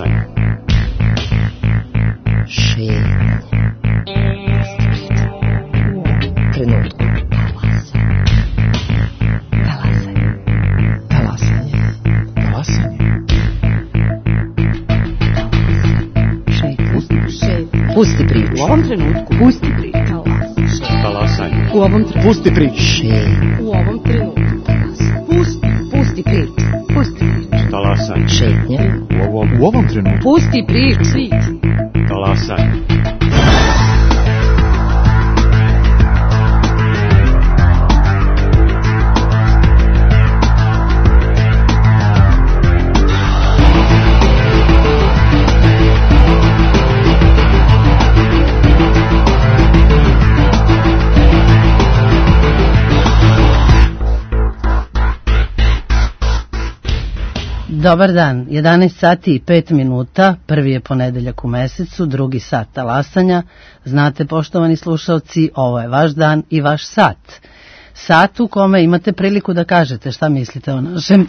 Talasanje. Šetnje. Trenutku. Talasanje. Pusti priču. U ovom trenutku. Pusti priču. Talasanje. U ovom trenutku. Pusti priču. U ovom trenutku. Pusti priču. Pusti priču. Talasanje. Šetnje. U ovom trenutku. Pusti priču. Talasanje. Dobar dan, 11 sati i 5 minuta, prvi je ponedeljak u mesecu, drugi sat talasanja. Znate, poštovani slušalci, ovo je vaš dan i vaš sat. Sat u kome imate priliku da kažete šta mislite o našem,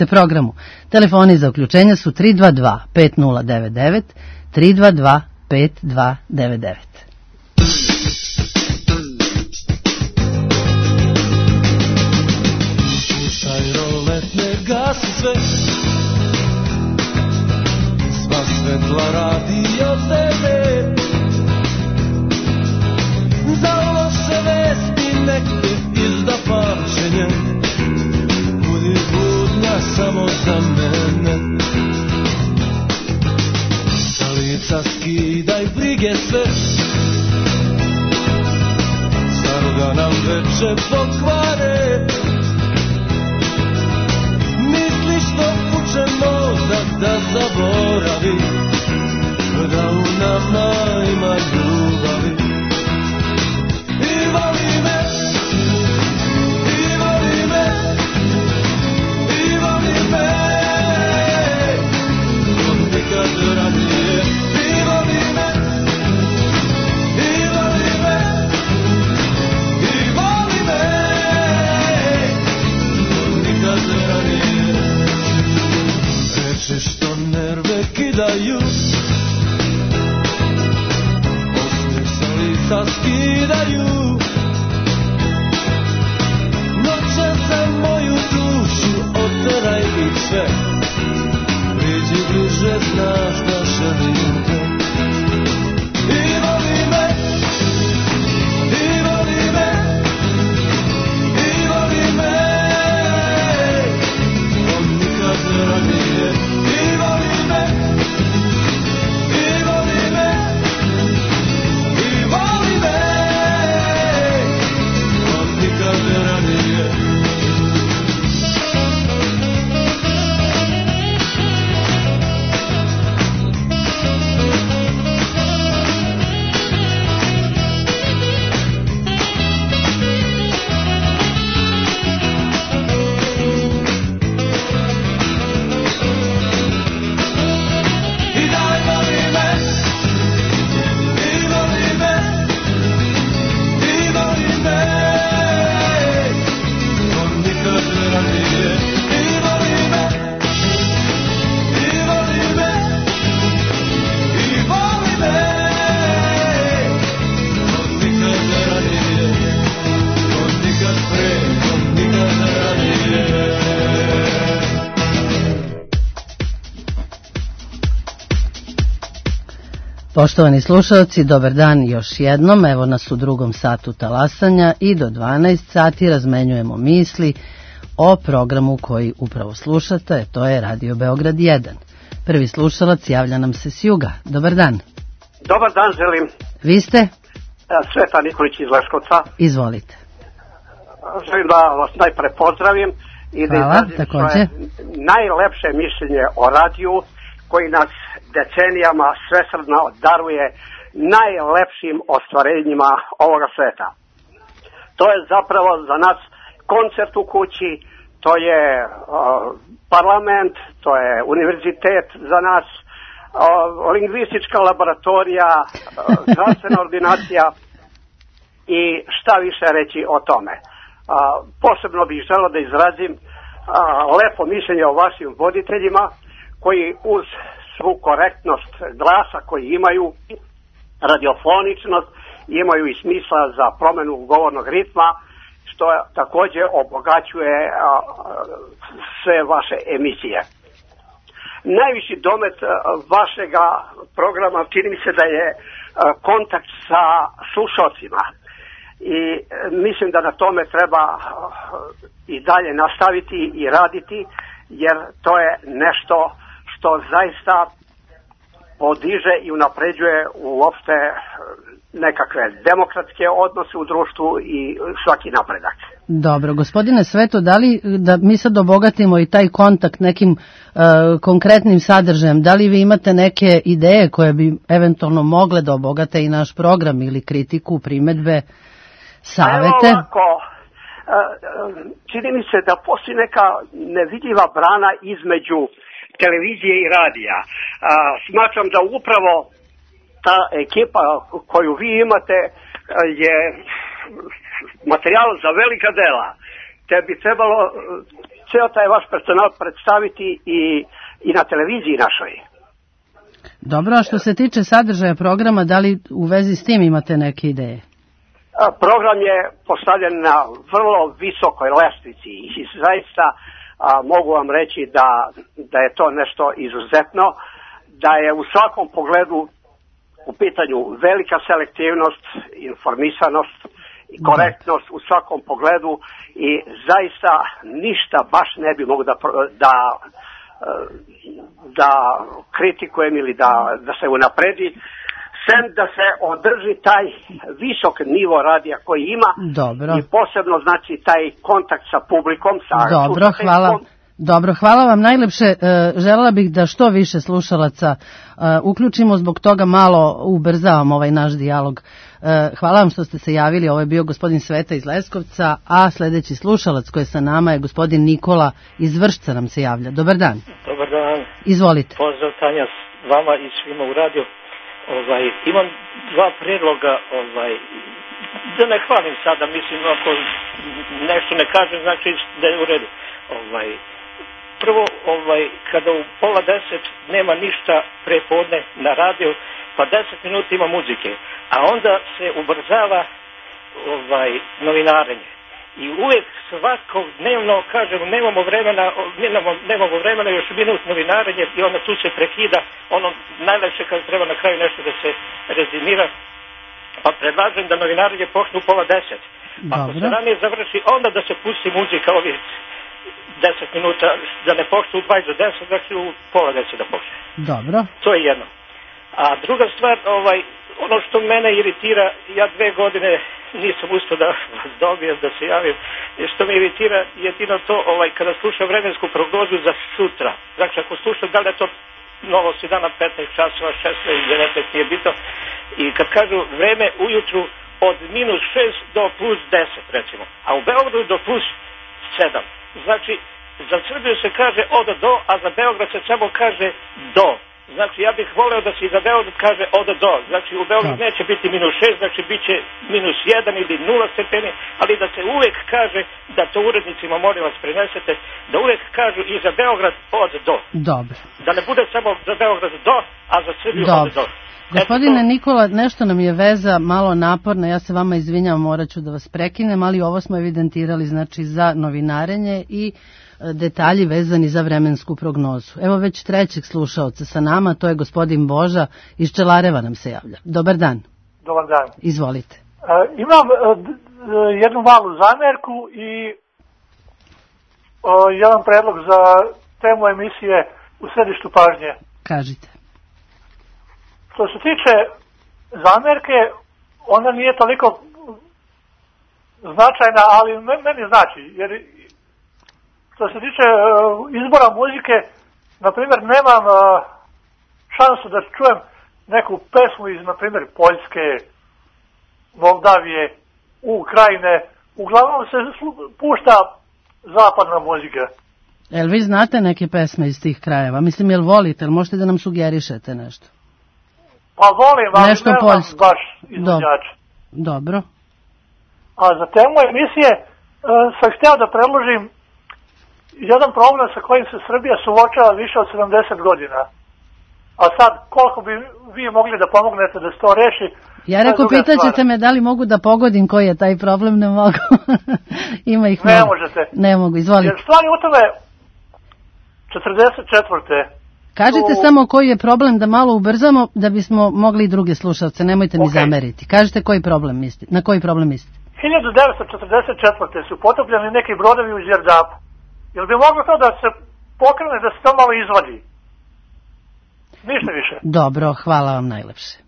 programu. Telefoni za uključenja su 322 5099, 322 5299. Gasi sve, sva svetla radio tebe, za loše vesti nek te izda pamćenje, budi budnja samo za mene. Sa lica skidaj brige sve, staro da nam veče pokvare. Što kuće mozak da zaboravi, da u nama ima ljubavi. I voli me, i voli me, i voli me, od nikad ranije. I voli me, i voli me, i voli me, od nikad ranije. Što nerve kidaju, osmijeh sa lica skidaju, noće za moju dušu oteraj ih sve, priđi bliže, znaš da želim te. I voli me, i voli me, i voli me, od nikad ranije. Poštovani slušalci, dobar dan još jednom, evo nas u drugom satu talasanja i do 12 sati razmenjujemo misli o programu koji upravo slušate, to je Radio Beograd 1. Prvi slušalac javlja nam se s juga. Dobar dan. Dobar dan želim. Vi ste? Sveta Nikolić iz Leskovca. Izvolite. Želim da vas najpre pozdravim i da izrazim svoje najlepše mišljenje o radiju koji nas decenijama svesrdno daruje najlepšim ostvarenjima ovoga sveta. To je zapravo za nas koncert u kući, to je parlament, to je univerzitet za nas, lingvistička laboratorija, zdravstvena ordinacija i šta više reći o tome. Posebno bih želeo da izrazim lepo mišljenje o vašim voditeljima koji uz svu korektnost glasa koji imaju, radiofoničnost, imaju i smisla za promenu govornog ritma, što također obogaćuje sve vaše emisije. Najviši domet vašega programa čini mi se da je kontakt sa slušalcima i mislim da na tome treba i dalje nastaviti i raditi, jer to je nešto što zaista podiže i unapređuje uopšte nekakve demokratske odnose u društvu i svaki napredak. Dobro, gospodine Sveto, da li da mi sad obogatimo i taj kontakt nekim konkretnim sadržajem, da li vi imate neke ideje koje bi eventualno mogle da obogate i naš program ili kritiku, primedbe, savete? Evo ovako, čini mi se da postoji neka nevidljiva brana između televizije i radija. Smatram da upravo ta ekipa koju vi imate je materijal za velika dela, te bi trebalo ceo taj vaš personal predstaviti i na televiziji našoj. Dobro, a što se tiče sadržaja programa, da li u vezi s tim imate neke ideje? Program je postavljen na vrlo visokoj lestvici i zaista mogu vam reći da je to nešto izuzetno, da je u svakom pogledu u pitanju velika selektivnost, informisanost i korektnost u svakom pogledu i zaista ništa baš ne bi mogu da kritikujem ili da se unapredi, sem da se održi taj visok nivo radija koji ima. Dobro. I posebno znači taj kontakt sa publikom, sa Dobro, hvala vam najlepše. Želela bih da što više slušalaca uključimo, zbog toga malo ubrzavam ovaj naš dijalog. Hvala vam što ste se javili, ovo je bio gospodin Sveta iz Leskovca, a sljedeći slušalac koji je sa nama je gospodin Nikola iz Vršca nam se javlja. Dobar dan. Dobar dan. Izvolite. Pozdrav Tanja vama i svima u radiju. Imam dva prijedloga, da ne hvalim sada, mislim, ako nešto ne kažem, znači da je u redu. Prvo, kada u 9:30 nema ništa prepodne na radiju, pa 10 minuta ima muzike, a onda se ubrzava novinarenje. I uvijek svakodnevno kažem nemamo vremena još minut novinarenje i onda tu se prekida ono najlepše kad treba na kraju nešto da se rezimira. Pa predlažem da novinarenje počne u 9:30. Ako se ranije završi, onda da se pusti muzika ovih 10 minuta, da ne počne u 9:20, znači u 9:30 da počne. Dobro. To je jedno. A druga stvar, ono što mene iritira, ja 2 godine nisam uspio da vas dobijem, da se javim, što me iritira jedino to, kada slušam vremensku prognozu za sutra. Znači, ako slušam, da li je to novosti dana 15 časova, 16, 19, nije bitno. I kad kažu vreme ujutru od -6 do +10, recimo, a u Beogradu do +7. Znači, za Srbiju se kaže od do, a za Beograd se samo kaže do. Znači, ja bih voleo da se i za Beograd kaže od do. Znači, u Beograd neće biti -6, znači bit će -1 ili 0 stepeni, ali da se uvijek kaže, da to urednicima molim vas prenesete, da uvijek kažu i za Beograd od do. Dobro. Da ne bude samo za Beograd do, a za Srbiju od do. Gospodine Nikola, nešto nam je veza malo naporna, ja se vama izvinjam, morat ću da vas prekinem, ali ovo smo evidentirali znači za novinarenje i detalji vezani za vremensku prognozu. Evo već trećeg slušaoca sa nama, to je gospodin Boža iz Čelareva nam se javlja. Dobar dan. Dobar dan. Izvolite. Imam jednu malu zamjerku i jedan predlog za temu emisije u središtu pažnje. Kažite. Što se tiče zamjerke, ona nije toliko značajna, ali meni znači, jer što se tiče izbora muzike, na primjer, nemam šansu da čujem neku pesmu iz, na primjer, Poljske, Moldavije, Ukrajine. Uglavnom se pušta zapadna muzika. Jel vi znate neke pesme iz tih krajeva? Mislim, jel volite, jel možete da nam sugerišete nešto? Pa volim, ali nešto nemam poljsko. Baš izvođača. Dobro. A za temu emisije sam htio da predložim jedan problem sa kojim se Srbija suočava više od 70 godina. a sad koliko bi vi mogli da pomognete da se to reši. Ja rekao, pitaćete me da li mogu da pogodim koji je taj problem, ne mogu. Ima ih ne mnogo. Možete. Ne mogu, izvolite. Jer stvari u tome 44. Kažite samo koji je problem, da malo ubrzamo, da bismo mogli i druge slušalce, nemojte mi zameriti. Kažite koji problem mislite, na koji problem mislite? 1944. su potopljeni neki brodovi u Đerdapu. Jel bi moglo to da se pokrene, da se to malo izvadi? Ništa više. Dobro, hvala vam najlepše.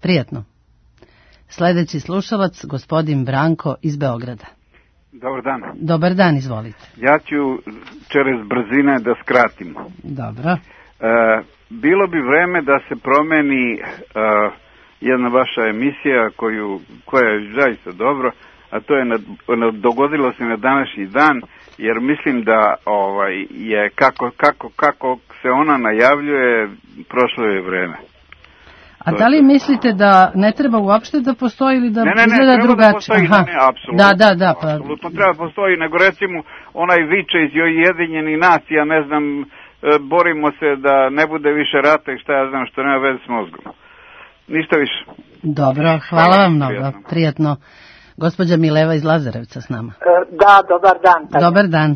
Prijatno. Sledeći slušalac, gospodin Branko iz Beograda. Dobar dan. Dobar dan, izvolite. Ja ću čez brzine da skratim. Dobro. Bilo bi vreme da se promeni jedna vaša emisija koja je zaista dobro, a to je dogodilo se na današnji dan, jer mislim da je kako se ona najavljuje, prošlo je vreme. A da li mislite da ne treba uopšte da postoji ili da izgleda drugačije? Da, apsolutno treba postoji, nego recimo onaj viče iz Ujedinjenih nacija, ne znam, borimo se da ne bude više rata i šta ja znam, što nema veze s mozgom. Ništa više. Dobro, hvala vam mnogo, prijatno. Gospođa Mileva iz Lazarevca s nama. Da, dobar dan. Dobar dan.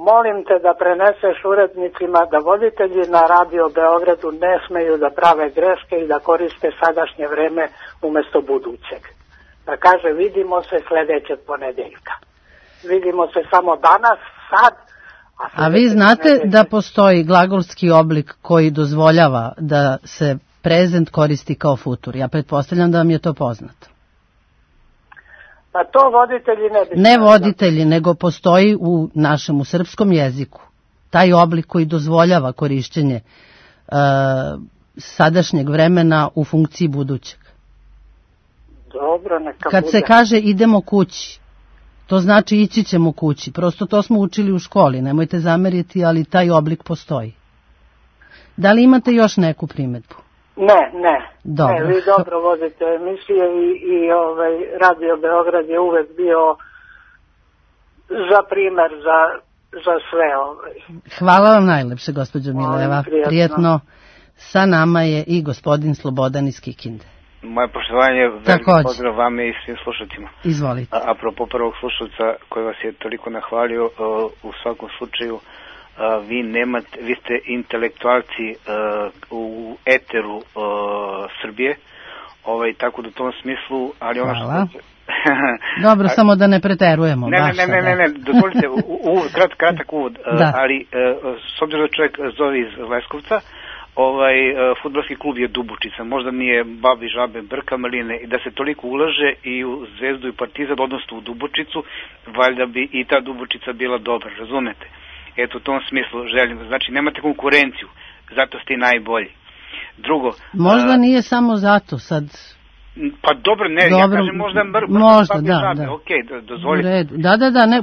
Molim te da preneseš urednicima da voditelji na Radio Beogradu ne smeju da prave greške i da koriste sadašnje vreme umesto budućeg. Da kaže, vidimo se sledećeg ponedeljka. Vidimo se samo danas, sad. A vi znate da postoji glagolski oblik koji dozvoljava da se prezent koristi kao futur? Ja pretpostavljam da vam je to poznato. Pa to voditelji ne bi... Ne voditelji, nego postoji u našem, u srpskom jeziku, taj oblik koji dozvoljava korišćenje sadašnjeg vremena u funkciji budućeg. Dobro, neka Kad bude. se kaže idemo kući, to znači ići ćemo kući. Prosto to smo učili u školi, nemojte zameriti, ali taj oblik postoji. Da li imate još neku primedbu? Ne. Dobro. Vi dobro vodite emisije i Radio Beograd je uvek bio za primer za sve. Hvala vam najlepše, gospođo Mileva. Prijetno. Sa nama je i gospodin Slobodan iz Kikinde. Moje poštovanje, veliki pozdrav vama i svim slušalcima. Izvolite. Apropo prvog slušalca koji vas je toliko nahvalio, u svakom slučaju vi ste intelektualci u eteru Srbije, tako da u tom smislu, ali ono što... Dobro, samo da ne preterujemo. Ne, dozvolite, kratak uvod, ali s obzirom da čovjek zove iz Leskovca, fudbalski klub je Dubučica, možda nije babi, žabe, brka, maline, i da se toliko ulaže i u Zvezdu i Partizan, odnosno u Dubučicu, valjda bi i ta Dubučica bila dobra, razumete? Eto, u tom smislu želim, znači nemate konkurenciju, zato ste i najbolji. Drugo... Možda nije samo zato, sad... Pa dobro, ne, ja kažem možda možda, da. Okej, dozvolite. Da,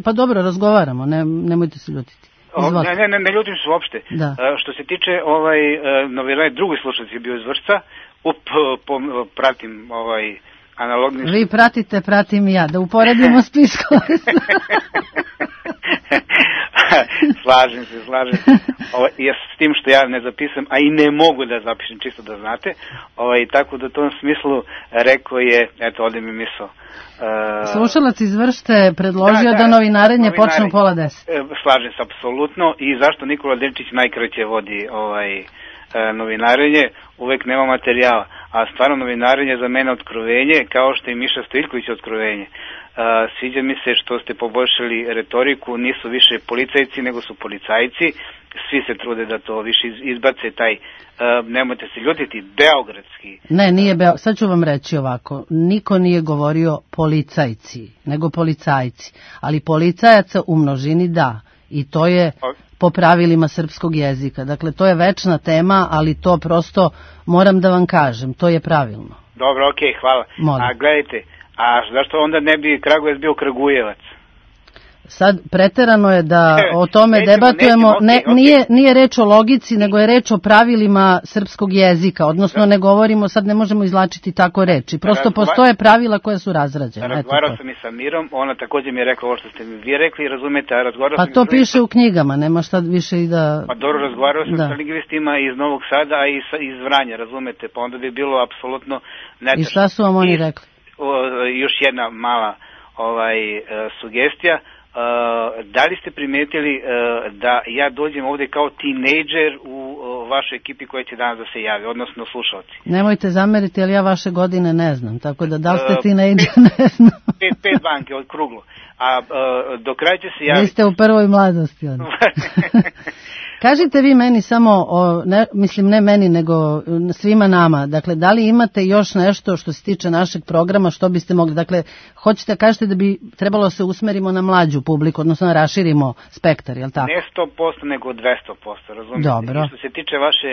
pa dobro, razgovaramo, nemojte se ljutiti. Ne ljutim se uopšte. Što se tiče drugi slušalac je bio iz Vršca, pratim analogni... Vi pratite, pratim i ja, da uporedimo spiskove. Slažem se. S tim što ja ne zapisam, a i ne mogu da zapišem, čisto da znate. Tako da u tom smislu rekao je, eto, ovdje mi misao. Slušalac iz Vršte predložio da novinarenje počne u 9:30. Slažem se, apsolutno. I zašto Nikola Denčić najkraće vodi novinarenje? Uvek nema materijala. A stvarno novinarenje za mene otkrovenje, kao što i Miša Stojiljković otkrovenje. Sviđa mi se što ste poboljšali retoriku, nisu više policajci nego su policajci, svi se trude da to više izbace taj, nemojte se ljutiti, beogradski. Ne, nije sad ću vam reći ovako, niko nije govorio policajci, nego policajci, ali policajaca u množini da, i to je po pravilima srpskog jezika, dakle to je večna tema, ali to prosto moram da vam kažem, to je pravilno. Dobro, okej, hvala. Molim. A gledajte, a zašto onda ne bi Kragujevac bio Kragujevac? sad preterano je da o tome debatujemo, nije reč o logici, nego je reč o pravilima srpskog jezika, odnosno ne govorimo, sad ne možemo izlačiti tako reči, prosto postoje pravila koja su razrađena. Razgovarao sam i sa Mirom, ona također mi je rekla ovo što ste mi vi rekli, razumete, a razgovarao sam... Pa to piše u knjigama, nema šta više i da... Pa dobro, razgovarao sam sa lingvistima iz Novog Sada, a i iz Vranja, razumete, pa onda bi bilo apsolutno netačno. I šta su vam oni rekli? Još jedna mala sugestija. Da li ste primetili da ja dođem ovdje kao tinejdžer u vašoj ekipi koja će danas da se javi, odnosno slušalci? Nemojte zameriti, ali ja vaše godine ne znam, tako da li ste tinejdžer ne znam. 5 banke od kruglo. A do kraja će se javiti... Vi ste u prvoj mladosti. Kažite vi meni samo, mislim ne meni nego svima nama, dakle da li imate još nešto što se tiče našeg programa što biste mogli, dakle hoćete kažete da bi trebalo se usmerimo na mlađu publiku, odnosno da raširimo spektar, je li tako? Ne 100% nego 200%, razumijete? Dobro. I što se tiče vaše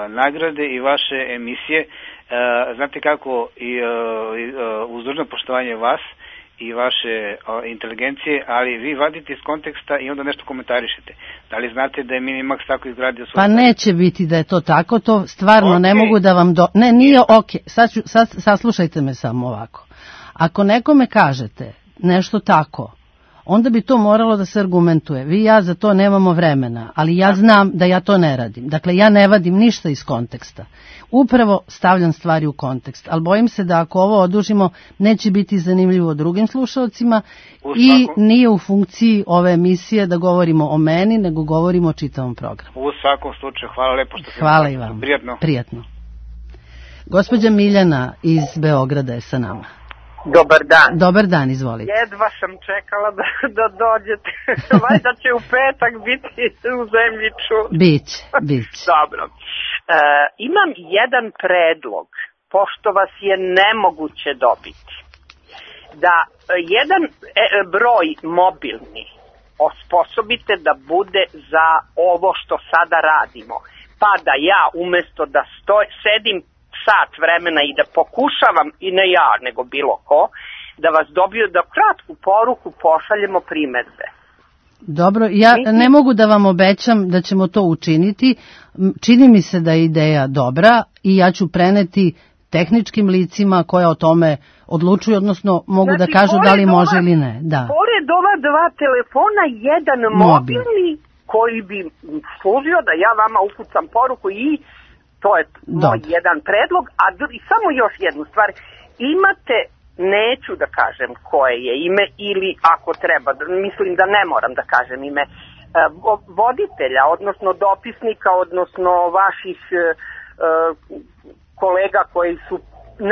nagrade i vaše emisije, znate kako uz dužno poštovanje vas i vaše inteligencije, ali vi vadite iz konteksta i onda nešto komentarišete. Da li znate da je Minimax tako izgradio svoj... Pa neće biti da je to tako, to stvarno ne mogu da vam... Ne, nije okej. Sad saslušajte me samo ovako. Ako nekome kažete nešto tako, onda bi to moralo da se argumentuje. Vi i ja za to nemamo vremena, ali ja znam da ja to ne radim. Dakle, ja ne vadim ništa iz konteksta. Upravo stavljam stvari u kontekst, ali bojim se da ako ovo odužimo, neće biti zanimljivo drugim slušalcima i nije u funkciji ove emisije da govorimo o meni, nego govorimo o čitavom programu. U svakom slučaju, hvala lepo što ste... Hvala i vam. Prijatno. Gospođa Miljana iz Beograda je sa nama. Dobar dan. Dobar dan, izvolite. Jedva sam čekala da dođete. Valjda će u petak biti u zemlji čuda. Biće. Dobro. Imam jedan predlog, pošto vas je nemoguće dobiti. Da jedan broj mobilni osposobite da bude za ovo što sada radimo. Pa da ja umjesto da sedim sat vremena i da pokušavam, i ne ja, nego bilo ko, da vas dobiju, da kratku poruku pošaljemo primedbe. Dobro, ja ne mogu da vam obećam da ćemo to učiniti. Čini mi se da je ideja dobra i ja ću preneti tehničkim licima koja o tome odlučuju, odnosno mogu da kažu da li može ili ne. Da. Pored ova dva telefona, jedan mobilni koji bi služio da ja vama upucam poruku i to je moj jedan predlog, a samo još jednu stvar. Imate, neću da kažem koje je ime, ili ako treba, mislim da ne moram da kažem ime, voditelja, odnosno dopisnika, odnosno vaših kolega koji su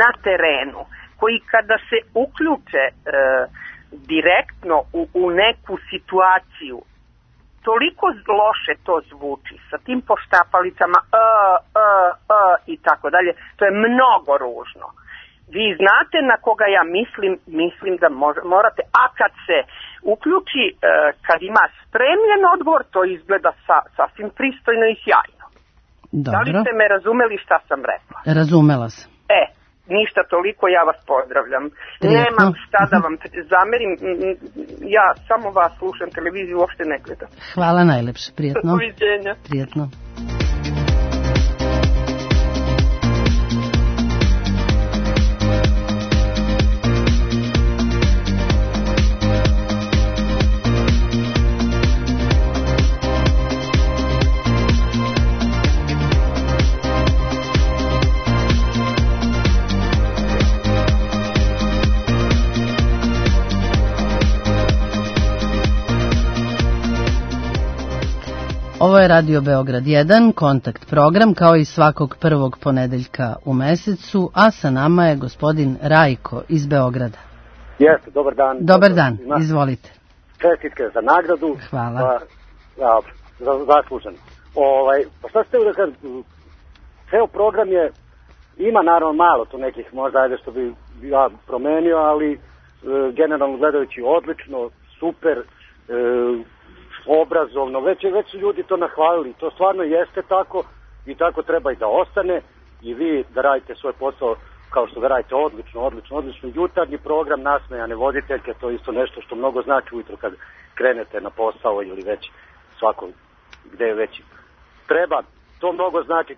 na terenu, koji kada se uključe direktno u neku situaciju, toliko loše to zvuči sa tim poštapalicama i tako dalje, to je mnogo ružno. Vi znate na koga ja mislim da morate, a kad se uključi, kad ima spremljen odgovor, to izgleda sasvim pristojno i sjajno. Dobro. Da li ste me razumeli šta sam rekla? Razumela sam. Ništa toliko, ja vas pozdravljam. Prijetno. Nemam šta da vam zamerim, ja samo vas slušam, televiziju uopšte ne gledam. Hvala najlepše, prijetno. Doviđenja. Prijetno. Ovo je Radio Beograd 1, kontakt program, kao i svakog prvog ponedeljka u mesecu, a sa nama je gospodin Rajko iz Beograda. Jeste, dobar dan. Dobar dan, izvolite. Čestitke za nagradu. Hvala. Zaslužen. Pa šta ste da kažem, ceo program je, ima naravno malo tu nekih možda ajde što bi ja promenio, ali generalno gledajući odlično, super, obrazovno, već su ljudi to nahvalili, to stvarno jeste tako i tako treba i da ostane i vi da radite svoj posao kao što ga radite, odlično. Jutarnji program, nasmejane voditeljke, to je isto nešto što mnogo znači ujutro kad krenete na posao ili već svako gde je već treba. To mnogo znači,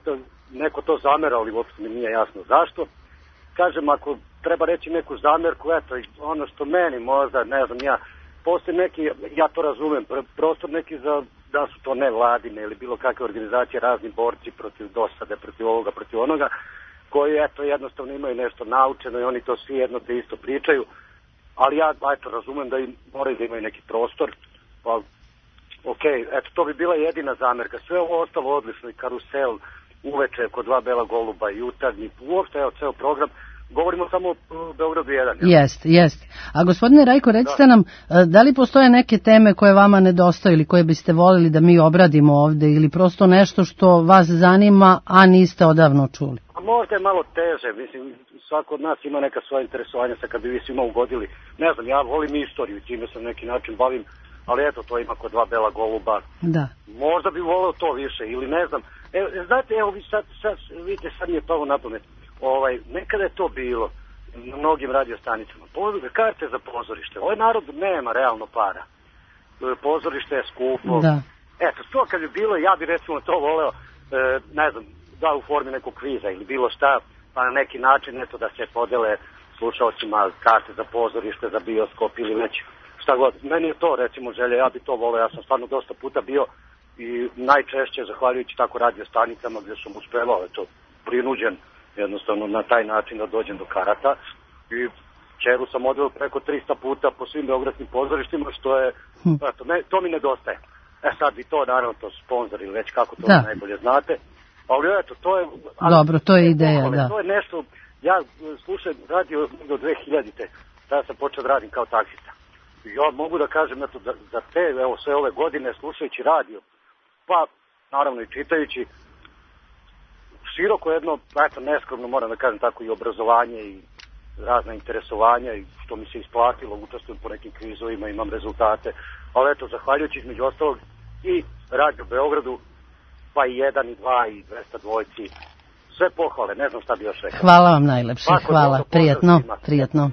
neko to zamera, ali uopšte mi nije jasno zašto. Kažem, ako treba reći neku zamerku, eto, ono što meni možda, ne znam, postoji neki, ja to razumem, prostor neki da su to nevladine ili bilo kakve organizacije, razni borci protiv dosade, protiv ovoga, protiv onoga, koji, eto, jednostavno imaju nešto naučeno i oni to svi jedno te isto pričaju, ali ja, eto, razumem da moraju da imaju neki prostor, pa, eto, to bi bila jedina zamerka. Sve ovo ostalo odlično, i karusel, uveče kod dva bela goluba, jutarnji, uopšte, evo, ceo program. Govorimo samo o Beogradu 1. Jeste. A gospodine Rajko, recite nam, da li postoje neke teme koje vama nedostaju ili koje biste voljeli da mi obradimo ovde, ili prosto nešto što vas zanima, a niste odavno čuli? A možda je malo teže, mislim, svako od nas ima neka svoja interesovanja, sad kad bi vi svima ugodili. Ne znam, ja volim istoriju, time se na neki način bavim, ali eto, to ima kod dva bela goluba. Da. Možda bi voleo to više, ili ne znam. Znate, evo, vidite, sad mi je palo na pamet. Nekada je to bilo na mnogim radiostanicama. Karte za pozorište. Ovaj narod nema realno para. Pozorište je skupo. Da. Eto, to kad bi bilo, ja bi recimo to voleo, ne znam, da u formi nekog kviza ili bilo šta, pa na neki način, eto, da se podele slušalcima karte za pozorište, za bioskop ili već šta god. Meni je to, recimo, želja, ja bi to voleo. Ja sam stvarno dosta puta bio i najčešće, zahvaljujući tako radiostanicama gdje sam uspevao, eto, prinuđen jednostavno na taj način da dođem do karata, i čeru sam odveo preko 300 puta po svim beogradskim pozorištima, što je, eto, to mi nedostaje. Sad bi to, naravno, to sponzor ili već kako to najbolje znate, ali eto, to je... Dobro, to je ideja, da. To je nešto, ja slušam radio do 2000-te, tada sam počeo da radim kao taksista. Ja mogu da kažem, eto, za te, evo, sve ove godine, slušajući radio, pa, naravno, i čitajući, široko jedno, eto, neskromno moram da kažem tako, i obrazovanje i razna interesovanja, i što mi se isplatilo, učestvujem po nekim kvizovima, imam rezultate, ali eto, zahvaljujući između ostalog i Radio Beogradu, pa i 1 i 2 i 202, sve pohvale, ne znam šta bi još rekao. Hvala vam najlepše, hvala, prijatno.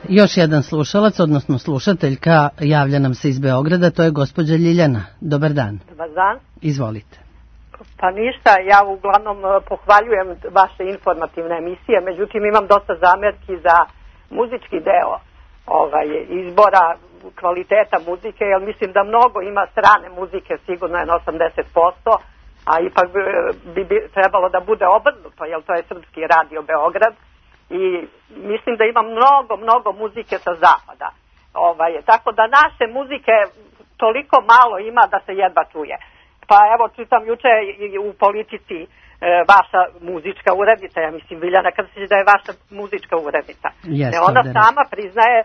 Još jedan slušalac, odnosno slušateljka, javlja nam se iz Beograda, to je gospođa Ljiljana. Dobar dan. Dobar dan. Izvolite. Pa ništa, ja uglavnom pohvaljujem vaše informativne emisije, međutim imam dosta zamerki za muzički deo izbora kvaliteta muzike, jer mislim da mnogo ima strane muzike, sigurno je na 80%, a ipak bi trebalo da bude obrnuto, jer to je Srpski radio Beograd. I mislim da ima mnogo muzike sa zapada. Tako da naše muzike toliko malo ima da se jedva čuje. Pa evo, čitam juče u Politici vaša muzička urednica, ja mislim, Viljana, kada se da je vaša muzička urednica. Ona sama priznaje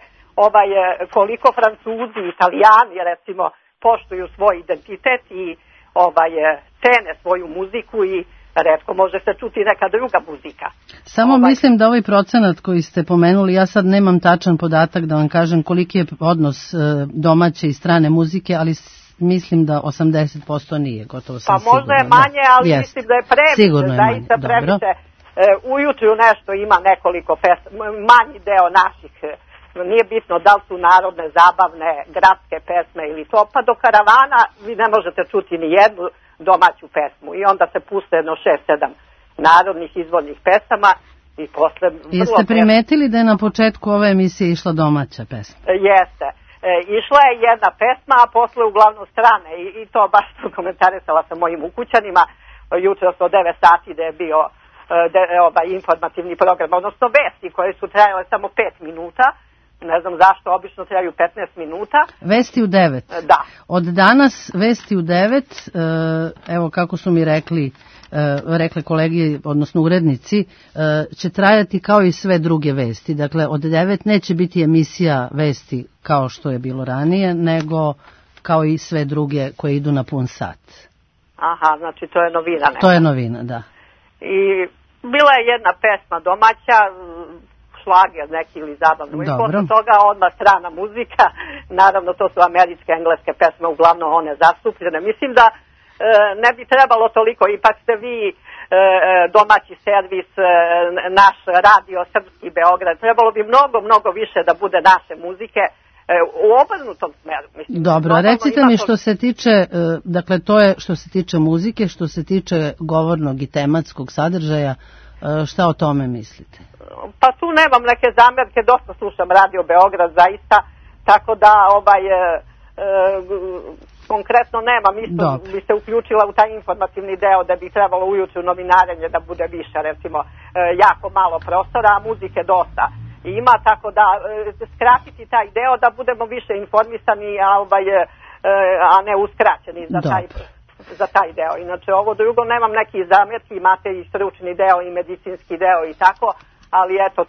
koliko Francuzi, Italijani, recimo, poštuju svoj identitet i cene svoju muziku i retko može se čuti neka druga muzika. Samo mislim da ovaj procenat koji ste pomenuli, ja sad nemam tačan podatak da vam kažem koliki je odnos domaće i strane muzike, ali mislim da 80% nije, gotovo sam sigurno. Pa možda je manje, ali mislim da je previše, zaista previše. Ujutru nešto ima nekoliko manji deo naših, nije bitno da li su narodne, zabavne, gradske pesme ili to, pa do karavana vi ne možete čuti ni jednu domaću pesmu i onda se puste jedno 6-7 narodnih izvornih pesama i posle... Jeste primetili da je na početku ove emisije išla domaća pesma? Jeste. Išla je jedna pesma, a posle uglavnom strane i to baš sam komentarisala sa mojim ukućanima jutros od 9 sati da je bio informativni program, odnosno vesti koje su trajale samo 5 minuta. Ne znam zašto, obično traju 15 minuta. Vesti u 9. Da. Od danas vesti u 9, evo kako su mi rekle kolegi, odnosno urednici, će trajati kao i sve druge vesti. Dakle, od 9 neće biti emisija vesti kao što je bilo ranije, nego kao i sve druge koje idu na pun sat. Aha, znači to je novina. To je novina, da. I bila je jedna pesma domaća, šlager neki ili zabavno. I posle toga odmah strana muzika, naravno to su američke, engleske pesme, uglavnom one zastupljene. Mislim da ne bi trebalo toliko, ipak ste vi domaći servis, naš radio Srpski Beograd, trebalo bi mnogo više da bude naše muzike u obrnutom smeru. Mislim, dobro, recite mi što se tiče, dakle to je što se tiče muzike, što se tiče govornog i tematskog sadržaja, šta o tome mislite? Pa tu nemam neke zamerke, dosta slušam Radio Beograd zaista, tako da konkretno nemam, isto bi se uključila u taj informativni deo da bi trebalo ujutru novinarenje da bude više, recimo jako malo prostora, a muzike dosta ima, tako da skratiti taj deo da budemo više informisani, a ne uskraćeni za taj deo. Inače ovo drugo nemam neki zamjerki, imate i stručni deo i medicinski deo i tako, ali eto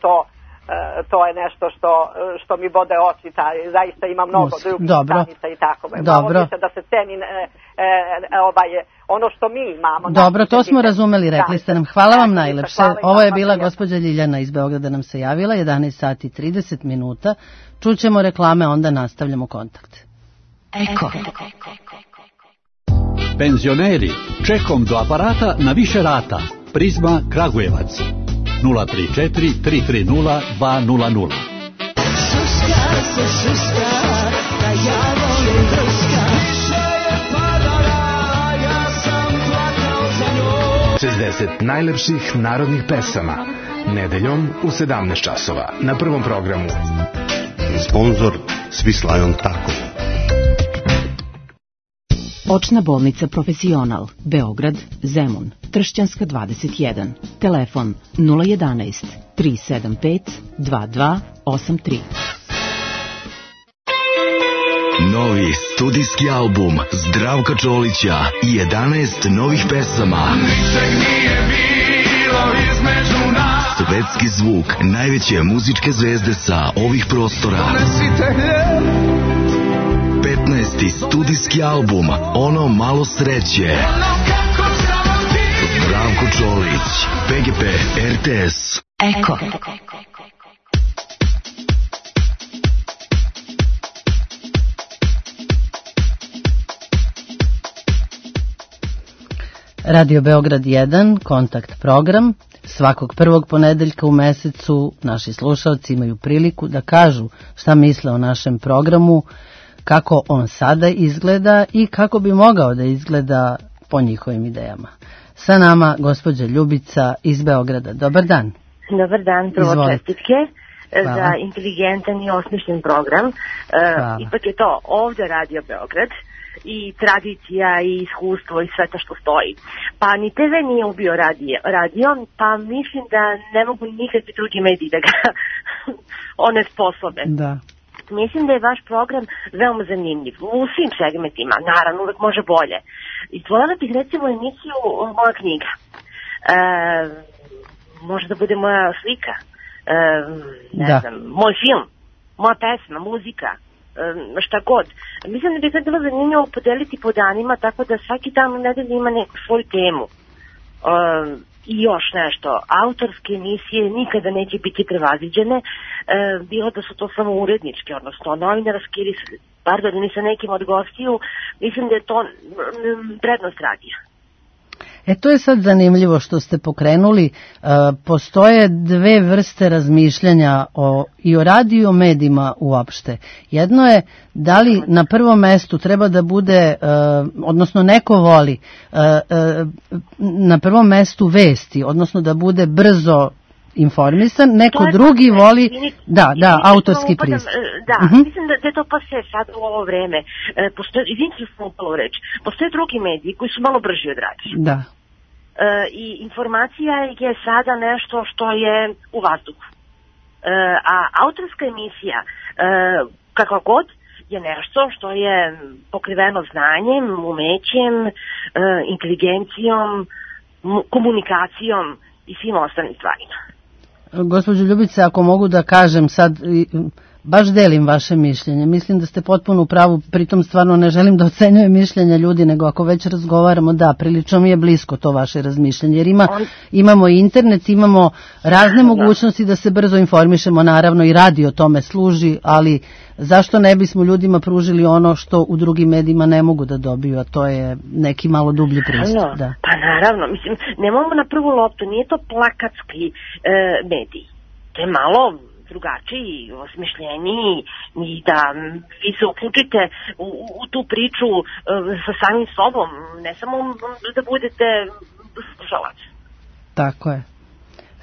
to je nešto što mi bode oči, zaista ima mnogo drugih stranica i tako. Malo više da se ceni ono što mi imamo. Dobro, to smo razumeli, rekli ste nam. Hvala vam najlepše. Ovo je bila gospođa Ljiljana iz Beograda nam se javila, 11 sati i 30 minuta. Čućemo reklame, onda nastavljamo kontakt. Eko. Penzioneri, čekom do aparata na više rata. Prizma Kragujevac. 034 330 200. Šuška se šuška, da ja volim drška. Više je padala, ja sam plakao za njom. 60 najlepših narodnih pesama. Nedeljom u 17 časova. Na Prvom programu. Sponzor Svislajon Tako. Očna bolnica Profesional, Beograd, Zemun, Tršćanska 21, telefon 011 375 2283. Novi studijski album Zdravka Čolića i 11 novih pesama. Ničeg nije bilo između nas. Svetski zvuk najveće muzičke zvezde sa ovih prostora. Donesite hljeb. 15. studijski album Ono malo sreće. Zdravko Čolić, PGP RTS. Eko. Radio Beograd 1, kontakt program. Svakog prvog ponedeljka u mesecu naši slušalci imaju priliku da kažu šta misle o našem programu, kako on sada izgleda i kako bi mogao da izgleda po njihovim idejama. Sa nama gospođa Ljubica iz Beograda. Dobar dan. Dobar dan, prvo čestitke za inteligentan i osmišljen program. Ipak je to ovde Radio Beograd i tradicija i iskustvo i sve to što stoji. Pa ni TV nije ubio radio, pa mislim da ne mogu nikakvi drugi mediji da ga one sposobe. Da. Mislim da je vaš program veoma zanimljiv u svim segmentima, naravno uvek može bolje. Izdvojila bih recimo emisiju Moja knjiga. Može da bude moja slika, ne znam, moj film, moja pesma, muzika, šta god. Mislim da bi sad bilo zanimljivo podeliti po danima, tako da svaki dan u nedelji ima neku svoju temu. I još nešto, autorske emisije nikada neće biti prevaziđene, bilo da su to samo uredničke, odnosno novinarske ili sa nekim od gostiju, mislim da je to prednost radija. To je sad zanimljivo što ste pokrenuli. Postoje dve vrste razmišljanja i o radiju i o medijima uopšte. Jedno je da li na prvom mestu treba da bude, odnosno neko voli na prvom mestu vesti, odnosno da bude brzo informisan, neko drugi voli autorski pristup. Mislim da je to pa sve sad u ovo vreme. Izvinite što sam upala u reč. Postoje drugi mediji koji su malo brži od radija. Da. I informacija je sada nešto što je u vazduhu. A autorska emisija, kakva god, je nešto što je pokriveno znanjem, umećem, inteligencijom, komunikacijom i svim ostalim stvarima. Gospođo Ljubice, ako mogu da kažem sad, baš delim vaše mišljenje. Mislim da ste potpuno u pravu, pritom stvarno ne želim da ocenjujem mišljenja ljudi, nego ako već razgovaramo, da, prilično mi je blisko to vaše razmišljanje, jer imamo i internet, imamo razne mogućnosti da se brzo informišemo, naravno i radio tome služi, ali zašto ne bismo ljudima pružili ono što u drugim medijima ne mogu da dobiju, a to je neki malo dublji pristup. Da. Pa naravno, mislim, nemamo na prvu loptu, nije to plakatski medij, to je malo drugačiji, osmišljeniji i da vi se uključite u tu priču sa samim sobom, ne samo da budete slušalac. Tako je.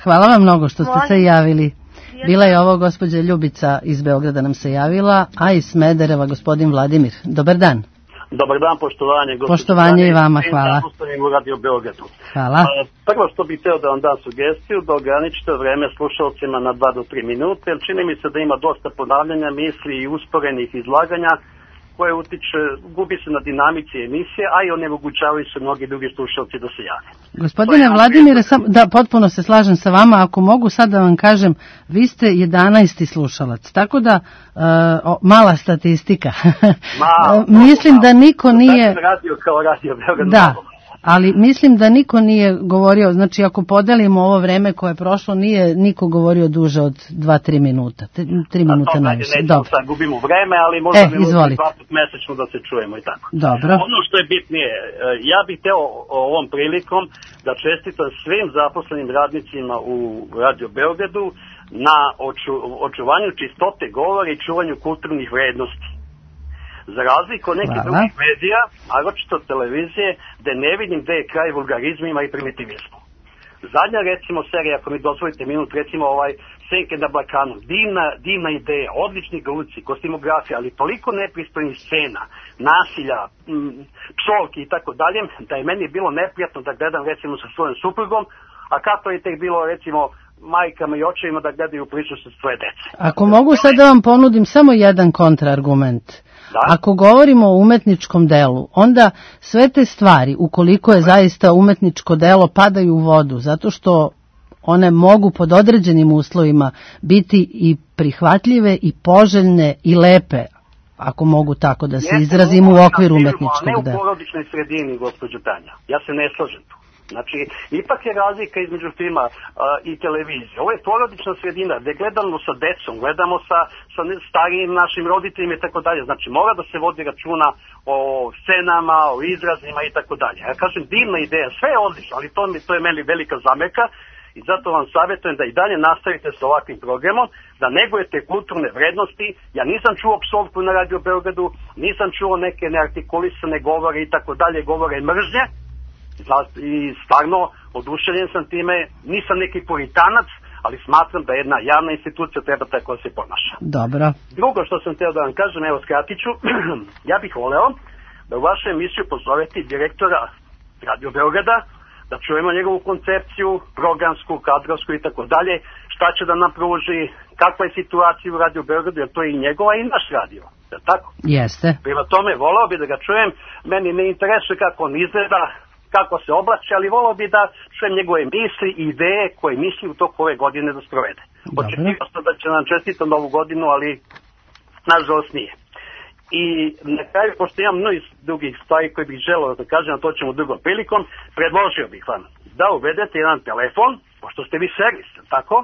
Hvala vam mnogo što ste se javili. Bila je ovo gospođa Ljubica iz Beograda nam se javila, a iz Smedereva gospodin Vladimir. Dobar dan. Dobar dan, poštovanje. Poštovanje i vama, hvala. U Radio Beogradu. Hvala. Prvo što bih hteo da vam dam sugestiju, da ograničite vreme slušalcima na 2 do 3 minute, jer čini mi se da ima dosta ponavljanja misli i usporenih izlaganja koje utiče, gubi se na dinamici emisije, a i onemogućavaju se mnogi drugi slušalci da se jave. Gospodine Vladimire, da, potpuno se slažem sa vama, ako mogu sad da vam kažem, vi ste 11. slušalac, tako da mala statistika. Mislim da niko nije... Radio kao Radio Beograd. Da. Ali mislim da niko nije govorio, znači ako podelimo ovo vreme koje je prošlo, nije niko govorio duže od 2-3 minuta. 3 minuta najviše. Nećemo sad, gubimo vreme, ali možda bi mogli 2 put mesečno da se čujemo i tako. Dobro. Ono što je bitnije, ja bih hteo ovom prilikom da čestitam svim zaposlenim radnicima u Radio Beogradu na očuvanju čistote govora i čuvanju kulturnih vrednosti. Za razliku od nekih drugih medija, a ročito televizije, gde ne vidim gde je kraj vulgarizmima i primitivizmu. Zadnja, recimo, serija, ako mi dozvolite minut, recimo Senke na Balkanu, divna ideja, odlični glumci, kostimografija, ali toliko nepristojnih scena, nasilja, psovki i tako dalje, da je meni bilo neprijatno da gledam, recimo, sa svojom suprugom, a kako je tek bilo, recimo, majkama i očevima da gledaju priču sa svoje dece. Ako mogu sad da vam ponudim samo jedan kontraargument. Da. Ako govorimo o umetničkom delu, onda sve te stvari, ukoliko je zaista umetničko delo, padaju u vodu, zato što one mogu pod određenim uslovima biti i prihvatljive i poželjne i lepe, ako mogu tako da se izrazim u okviru umetničkog dela. Ne u porodičnoj sredini, gospođo Tanja, ja se ne slažem tu. Znači, ipak je razlika između filma i televizije. Ovo je porodična sredina gde gledamo sa decom, gledamo sa starijim našim roditeljima i tako dalje. Znači, mora da se vodi računa o scenama, o izrazima i tako dalje. Ja kažem, divna ideja, sve je odlično, ali to je meni velika zamerka i zato vam savjetujem da i dalje nastavite sa ovakvim programom, da negujete kulturne vrednosti. Ja nisam čuo psovku na Radio Beogradu, nisam čuo neke neartikulisane govore i tako dalje, govore mržnje. I stvarno oduševljen sam time, nisam neki puritanac, ali smatram da jedna javna institucija treba tako da se ponaša. Dobro. Drugo što sam htio da vam kažem, evo skratit ću, ja bih voleo da u vašu emisiju pozovete direktora Radio Beograda, da čujemo njegovu koncepciju, programsku, kadrovsku i tako dalje, šta će da nam pruži, kakva je situacija u Radio Beogradu, jer to je i njegova i naš radio, je tako? Jeste. Prema tome, voleo bi da ga čujem, meni ne interesuje kako on izgleda, kako se oblači, ali volao bi da čujem njegove misli i ideje koje misli u toku ove godine da sprovede. Očekivao sam da će nam čestitati novu godinu, ali nažalost nije. I na kraju, pošto imam mnogo drugih stvari koje bih želeo da kažem, a to ćemo drugom prilikom, predložio bih vam da uvedete jedan telefon, pošto ste vi servis, tako,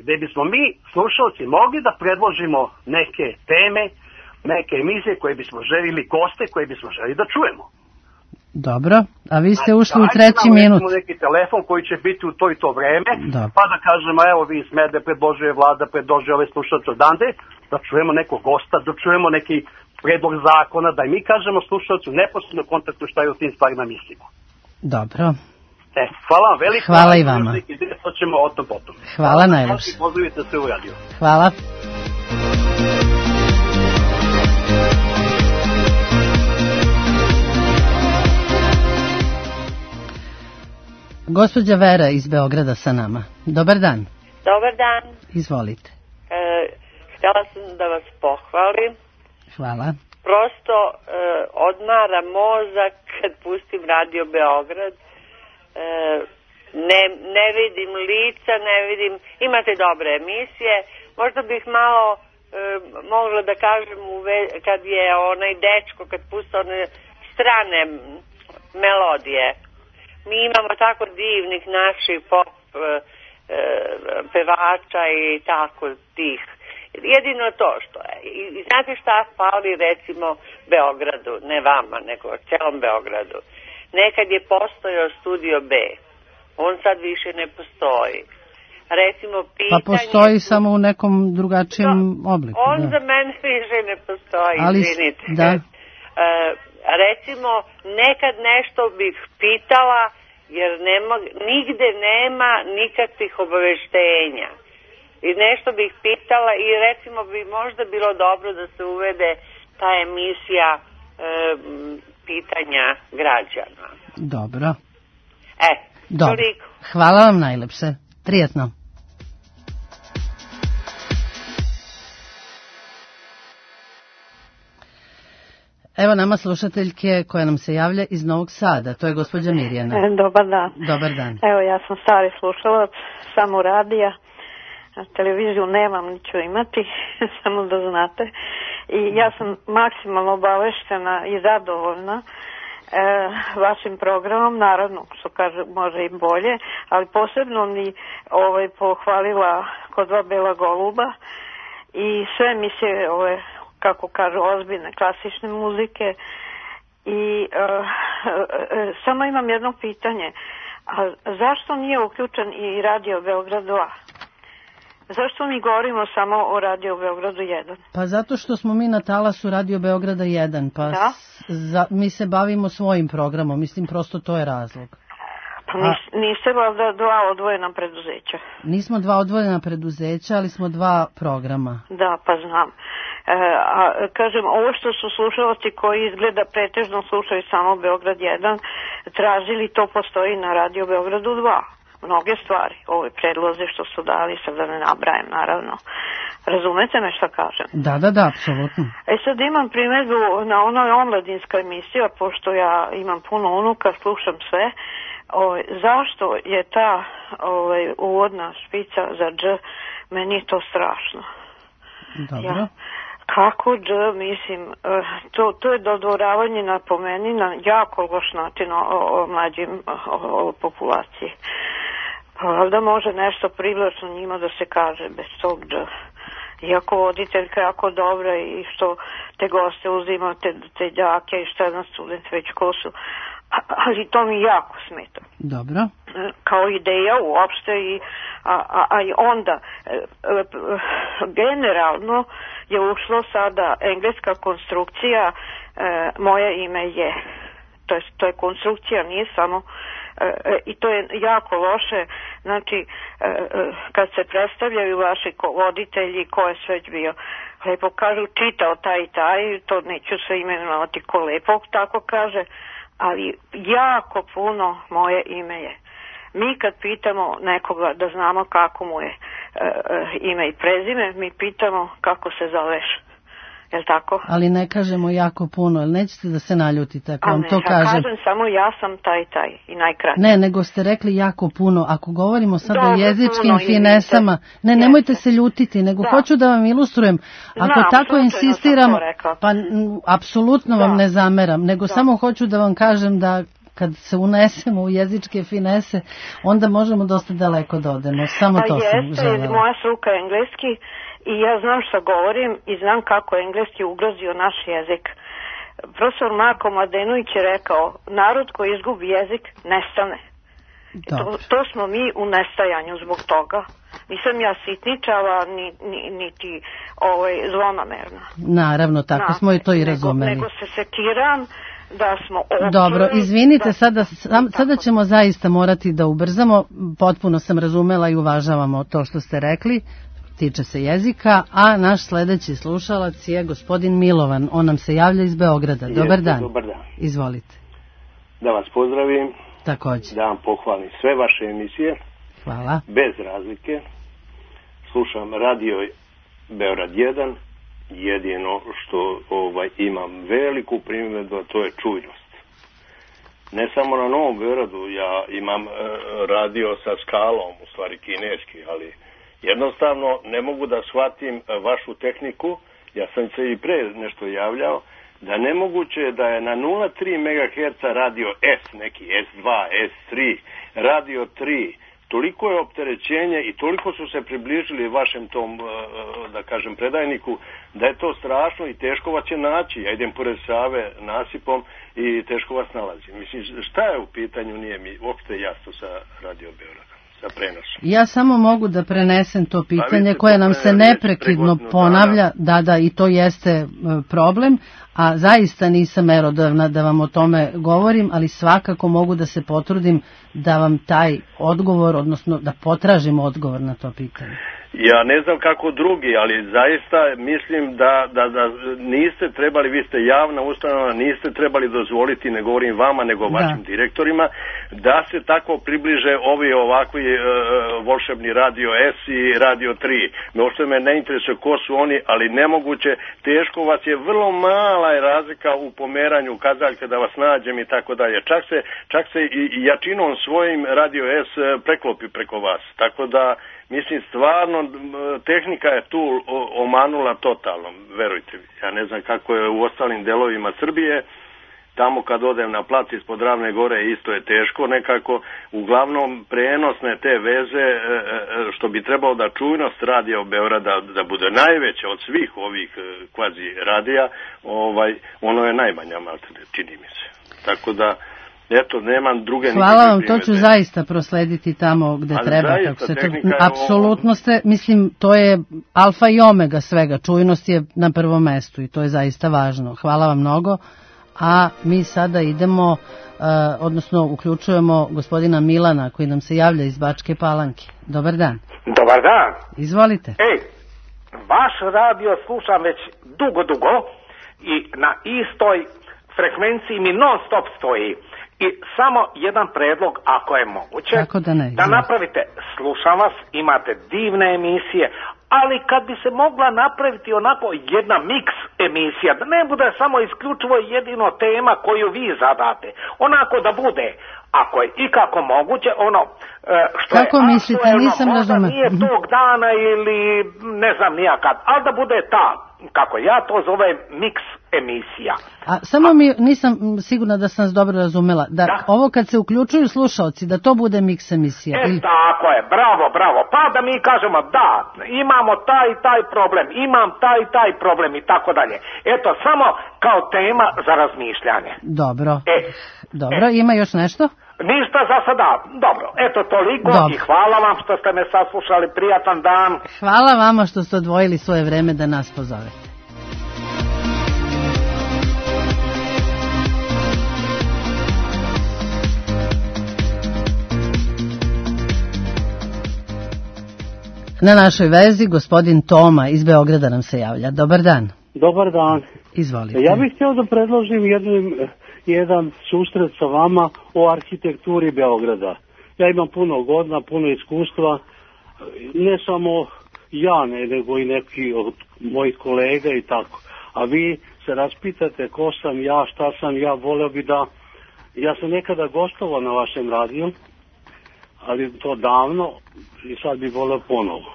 gde bismo mi, slušalci, mogli da predložimo neke teme, neke emisije koje bismo želili, goste koje bismo želeli da čujemo. Dobro, a vi ste ušli u 3. minut. Neki telefon koji će biti u to i to vreme, pa da kažemo, evo vi Smede, predložuje Vlada, predložuje ove slušalce odande, da čujemo nekog gosta, da čujemo neki predlog zakona, da i mi kažemo slušalcu neposredno kontaktu šta je o tim stvarima mislimo. Dobro. Hvala vam veliko. Hvala i vama. To ćemo o tom potom. Hvala najlepše. Pozdravite se u radio. Hvala. Gospođa Vera iz Beograda sa nama. Dobar dan. Dobar dan. Izvolite. Htjela sam da vas pohvalim. Hvala. Prosto odmara mozak kad pustim Radio Beograd. Ne vidim lica, ne vidim, imate dobre emisije. Možda bih malo mogla da kažem kad je onaj dečko kad pusta one strane melodije. Mi imamo tako divnih naših pop pevača i tako tih. Jedino to što je. I znate šta fali recimo Beogradu, ne vama, nego celom Beogradu. Nekad je postojao Studio B. On sad više ne postoji. Recimo pitanje... Pa postoji samo u nekom drugačijem obliku. On za mene više ne postoji, izvinite. Da. Recimo, nekad nešto bih pitala, jer nigde nema nikakvih obaveštenja. I nešto bih pitala i recimo bi možda bilo dobro da se uvede ta emisija pitanja građana. Dobro. Dobro. Toliko. Hvala vam najlepše. Prijetno. Evo nama slušateljke koja nam se javlja iz Novog Sada. To je gospođa Mirjana. Dobar dan. Dobar dan. Evo ja sam stari slušalac, samo radija. Televiziju nemam, niću imati, samo da znate. I ja sam maksimalno obaveštena i zadovoljna vašim programom, naravno, što kaže, može i bolje, ali posebno mi pohvalila Kod dva bela goluba i sve emisije kako kažu, ozbiljne klasične muzike. I samo imam jedno pitanje, a zašto nije uključen i Radio Beograd 2? Zašto mi govorimo samo o Radio Beogradu 1? Pa zato što smo mi na talasu Radio Beograda 1, pa mi se bavimo svojim programom, mislim prosto to je razlog. Pa niste valjda dva odvojena preduzeća? Nismo dva odvojena preduzeća, ali smo dva programa. Da, pa znam. Kažem, ovo što su slušalci koji izgleda pretežno slušaju samo Beograd 1, tražili, to postoji na Radio Beogradu 2. Mnoge stvari, ove predloze što su dali, sad da ne nabrajem, naravno. Razumete me šta kažem? Da, apsolutno. Sad imam primjedbu na onoj omladinska emisija, pošto ja imam puno unuka, slušam sve. Zašto je ta uvodna špica za dž, meni je to strašno. Dobro. Kako dž, mislim, to je dodvoravanje na pomeni na jako loš način o mlađim populaciji. Pa da može nešto privlačno njima da se kaže bez tog dž. Iako voditeljka jako dobra i što te goste uzima, te đake i šta jedan student već ko su. Ali to mi jako smeta. Dobro. Kao ideja uopšte a i onda generalno je ušlo sada engleska konstrukcija moje ime je. To je konstrukcija, nije samo i to je jako loše. Znači kad se predstavljaju vaši voditelji ko je sve bio, lepo kažu čitao taj i taj, to neću se imenovati ko lepo tako kaže, ali jako puno moje ime je. Mi kad pitamo nekoga da znamo kako mu je ime i prezime, mi pitamo kako se zoveš. Jel' tako? Ali ne kažemo jako puno, ali nećete da se naljutite ako vam to kažem. Kažem samo ja sam taj i najkraće. Ne, nego ste rekli jako puno. Ako govorimo sad o jezičkim finesama, nemojte se ljutiti, nego hoću da vam ilustrujem. Ako tako insistiram, pa apsolutno vam ne zameram, nego samo hoću da vam kažem da kad se unesemo u jezičke finese, onda možemo dosta daleko da odemo. Samo to sam želela. Moja struka je engleski i ja znam šta govorim i znam kako je engleski ugrozio naš jezik. Profesor Marko Mladenović je rekao, narod koji izgubi jezik nestane. To smo mi u nestajanju zbog toga. Nisam ja sitničava niti zlonamerna. Naravno, tako smo i to i razumeli. Nego se sekiram da smo općili. Dobro, izvinite, sada ćemo zaista morati da ubrzamo. Potpuno sam razumela i uvažavamo to što ste rekli. Tiče se jezika, a naš sledeći slušalac je gospodin Milovan. On nam se javlja iz Beograda. Dobar dan. Dobar dan. Izvolite. Da vas pozdravim. Također. Da vam pohvalim sve vaše emisije. Hvala. Bez razlike. Slušam Radio Beograd 1. Jedino što imam veliku primjedbu, to je čujnost. Ne samo na Novom Beogradu, ja imam radio sa skalom, u stvari kineski, ali Jednostavno ne mogu da shvatim vašu tehniku, ja sam se i pre nešto javljao, da nemoguće da je na 0,3 MHz radio S, neki S2, S3, radio 3, toliko je opterećenje i toliko su se približili vašem tom, da kažem, predajniku, da je to strašno i teško vas će naći. Ja idem pored Save nasipom i teško vas nalazim. Mislim, šta je u pitanju, nije mi uopšte jasno sa Radio Beograda, sa prenosom. Ja samo mogu da prenesem to pitanje koje nam se neprekidno ponavlja, da, i to jeste problem, a zaista nisam merodavna da vam o tome govorim, ali svakako mogu da se potrudim da vam taj odgovor, odnosno da potražim odgovor na to pitanje. Ja ne znam kako drugi, ali zaista mislim da niste trebali, vi ste javna ustanova, niste trebali dozvoliti, ne govorim vama, nego vašim direktorima, da se tako približe ovi ovakvi volšebni Radio S i Radio 3. Možda me ne interesuje ko su oni, ali nemoguće, teško vas je, vrlo mala je razlika u pomeranju kazaljke da vas nađem i tako dalje. Čak se i jačinom svojim Radio S preklopi preko vas, tako da mislim, stvarno, tehnika je tu omanula totalno, verujte mi. Ja ne znam kako je u ostalim delovima Srbije, tamo kad odem na plac ispod Ravne gore isto je teško nekako. Uglavnom, prenosne te veze, što bi trebalo da čujnost radija u Beograda da bude najveća od svih ovih kvazi radija, ono je najmanja, čini mi se. Tako da, eto, nemam druge nikakve primjedbe. Hvala vam, to ću zaista proslediti tamo gde treba. Kako se to, apsolutno ste, mislim, to je alfa i omega svega, čujnost je na prvom mestu i to je zaista važno. Hvala vam mnogo, a mi sada idemo, odnosno uključujemo gospodina Milana koji nam se javlja iz Bačke Palanke. Dobar dan. Dobar dan. Izvolite. Vaš radio slušam već dugo i na istoj frekvenciji mi non stop stoji. I samo jedan predlog, ako je moguće, da napravite, slušam vas, imate divne emisije, ali kad bi se mogla napraviti onako jedna miks emisija, da ne bude samo isključivo jedino tema koju vi zadate, onako da bude, ako je ikako moguće, ono što kako je mislite, nisam razumela. Nije tog dana ili ne znam nijakad, ali da bude ta, kako ja to zovem, miks emisija. A samo mi nisam sigurna da sam vas dobro razumela. Da ovo kad se uključuju slušalci, da to bude miks emisija. Tako je, bravo. Pa da mi kažemo da, imamo taj problem, imam taj problem i tako dalje. Eto, samo kao tema za razmišljanje. Dobro, ima još nešto? Ništa za sada, dobro, eto toliko i hvala vam što ste me saslušali, prijatan dan. Hvala vama što ste odvojili svoje vreme da nas pozovete. Na našoj vezi gospodin Toma iz Beograda nam se javlja. Dobar dan. Dobar dan. Izvolite. Ja bih htio da predložim jedan susret sa vama o arhitekturi Beograda. Ja imam puno godina, puno iskustva, ne samo ja, nego i neki od mojih kolega i tako. A vi se raspitate ko sam ja, šta sam ja, voleo bi da... Ja sam nekada gostovao na vašem radiju, ali to davno i sad bi voleo ponovo.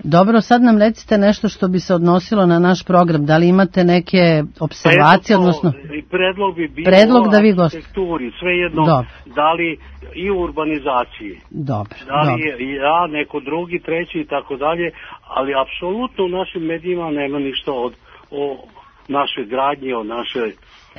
Dobro, sad nam recite nešto što bi se odnosilo na naš program. Da li imate neke observacije, odnosno... Predlog bi bio da vi arhitekturi, svejedno, da li i u urbanizaciji. Dobro. Da li je ja, neko drugi, treći i tako dalje, ali apsolutno u našim medijima nema ništa o našoj gradnji, o našoj...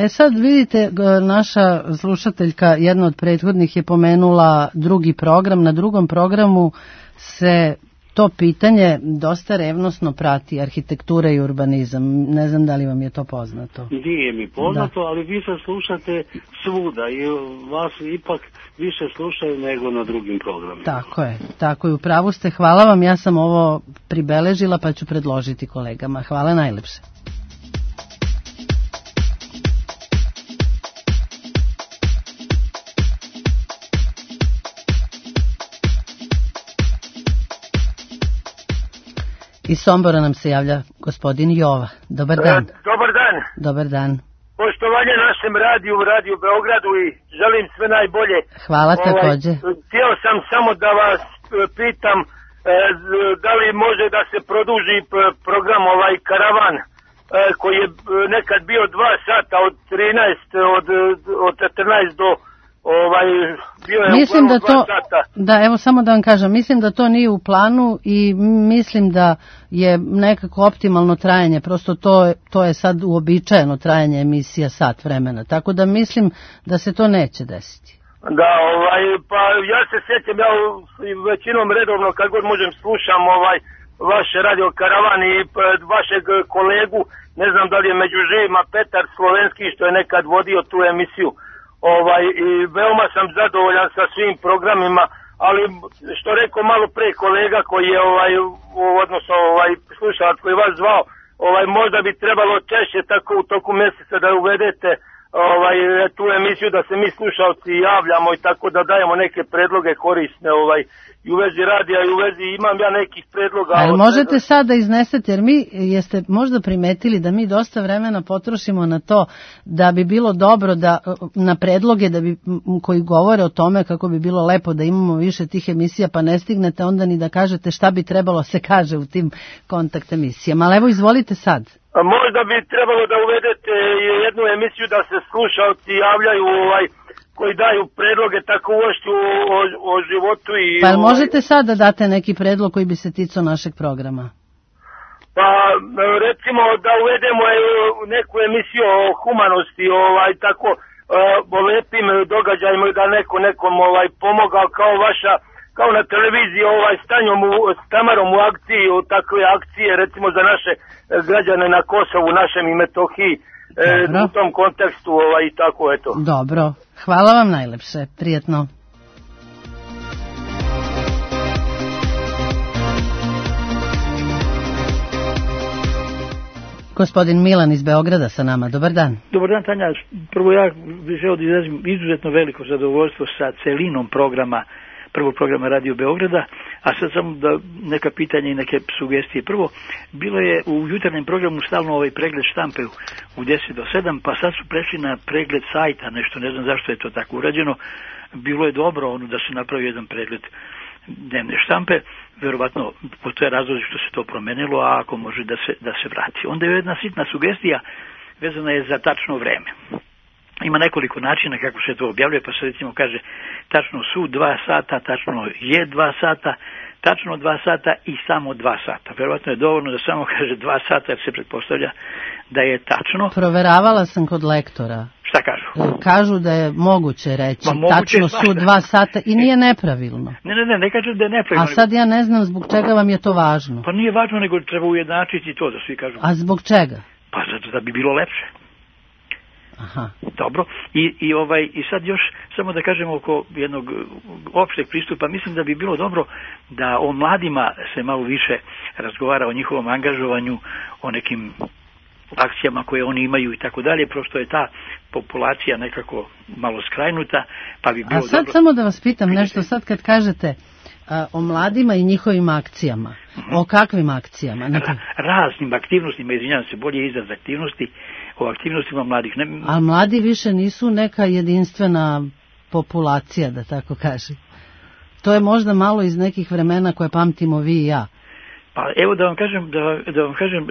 Sad vidite, naša slušateljka, jedna od prethodnih je pomenula drugi program. Na drugom programu se to pitanje dosta revnosno prati, arhitektura i urbanizam. Ne znam da li vam je to poznato. Nije mi poznato, ali vi se slušate svuda i vas ipak više slušaju nego na drugim programima. Tako je, u pravu ste. Hvala vam, ja sam ovo pribeležila pa ću predložiti kolegama. Hvala najlepše. Iz Sombora nam se javlja gospodin Jova. Dobar dan. Dobar dan. Poštovanje našem radiju Beogradu i želim sve najbolje. Hvala takođe. Htio sam samo da vas pitam da li može da se produži program ovaj Karavan, koji je nekad bio 2 sata od 14 do bio je mislim da to, 2 sata. Da, evo samo da vam kažem, mislim da to nije u planu i mislim da je nekako optimalno trajanje, prosto to je sad uobičajeno trajanje emisija sat vremena, tako da mislim da se to neće desiti. Da, pa ja se sjećam, ja većinom redovno kad god možem slušam vaš radio Karavan i vašeg kolegu, ne znam da li je među živima Petar Slovenski što je nekad vodio tu emisiju. I veoma sam zadovoljan sa svim programima, ali što rekao malo pre kolega koji je odnosno slušalac koji vas zvao, možda bi trebalo češće tako u toku mjeseca da uvedete tu emisiju da se mi slušalci javljamo i tako da dajemo neke predloge korisne i u vezi radija i u vezi imam ja nekih predloga. Ali možete sad da iznesete, jer jeste možda primetili da mi dosta vremena potrošimo na to da bi bilo dobro da na predloge koji govore o tome kako bi bilo lepo da imamo više tih emisija, pa ne stignete onda ni da kažete šta bi trebalo se kaže u tim kontakt emisijama. Ali evo izvolite sad. Možda bi trebalo da uvedete jednu emisiju da se slušalci javljaju koji daju predloge tako uošću o životu i... Pa možete sad da date neki predlog koji bi se ticao našeg programa? Pa recimo da uvedemo neku emisiju o humanosti, tako o lepim događajima da neko nekom pomogao kao na televiziji s Tamarom u akciji, takve akcije recimo za naše građane na Kosovu, našem i Metohiji, u tom kontekstu i tako eto. Dobro, hvala vam najlepše, prijetno. Gospodin Milan iz Beograda sa nama, dobar dan. Dobar dan Tanja, prvo ja bih želeo da izrazim izuzetno veliko zadovoljstvo sa celinom prvog programa Radio Beograda, a sad samo da neka pitanja i neke sugestije. Prvo, bilo je u jutarnjem programu stalno pregled štampe u 10 do 7, pa sad su prešli na pregled sajta, nešto, ne znam zašto je to tako urađeno. Bilo je dobro da se napravi jedan pregled dnevne štampe, verovatno postoje razlozi što se to promenilo, a ako može da se vrati. Onda je jedna sitna sugestija vezana je za tačno vreme. Ima nekoliko načina kako se to objavljuje, pa se recimo kaže tačno su 2 sata, tačno je 2 sata, tačno 2 sata i samo 2 sata. Verovatno je dovoljno da samo kaže 2 sata jer se pretpostavlja da je tačno. Proveravala sam kod lektora. Šta kažu? Kažu da je moguće reći tačno su 2 sata i nije nepravilno. Ne kažu da je nepravilno. A sad ja ne znam zbog čega vam je to važno. Pa nije važno, nego treba ujednačiti to da svi kažu. A zbog čega? Pa zato da bi bilo lepše. Aha. Dobro. I sad još samo da kažem oko jednog opšteg pristupa, mislim da bi bilo dobro da o mladima se malo više razgovara o njihovom angažovanju, o nekim akcijama koje oni imaju i tako dalje, prosto je ta populacija nekako malo skrajnuta, pa bi bilo dobro... A sad samo da vas pitam nešto, sad kad kažete o mladima i njihovim akcijama, o kakvim akcijama? Raznim aktivnostima, izvinjavam se, bolje izraz aktivnosti, o aktivnostima mladih. A mladi više nisu neka jedinstvena populacija, da tako kažem. To je možda malo iz nekih vremena koje pamtimo vi i ja. Pa evo da vam kažem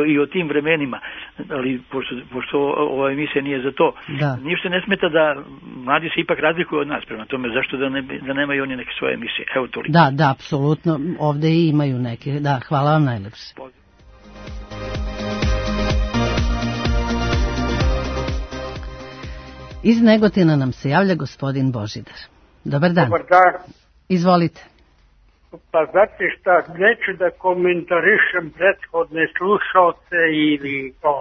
i o tim vremenima, ali pošto ova emisija nije za to, ništa ne smeta da mladi se ipak razlikuju od nas, prema tome zašto da nemaju oni neke svoje emisije. Evo toliko. Da, apsolutno, ovdje i imaju neke. Da, hvala vam najlepše. Iz Negotina nam se javlja gospodin Božidar. Dobar dan. Dobar dan. Izvolite. Pa znate šta, neću da komentarišem prethodne slušalce ili to.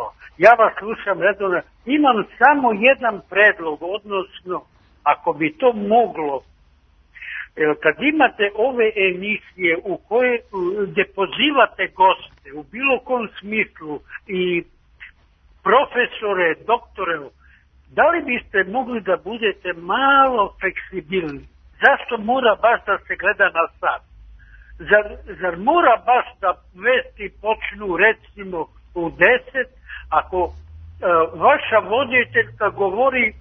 Ja vas slušam redovno. Imam samo jedan predlog, odnosno, ako bi to moglo, kad imate ove emisije u koje gdje pozivate goste u bilo kom smislu i profesore, doktore, da li biste mogli da budete malo fleksibilni? Zašto mora baš da se gleda na sat? Zar mora baš da vesti počnu recimo u 10, ako vaša voditeljka govori,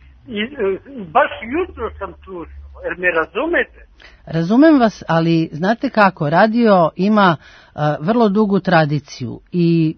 baš jutro sam slušao, jer me razumete? Razumem vas, ali znate kako, radio ima vrlo dugu tradiciju i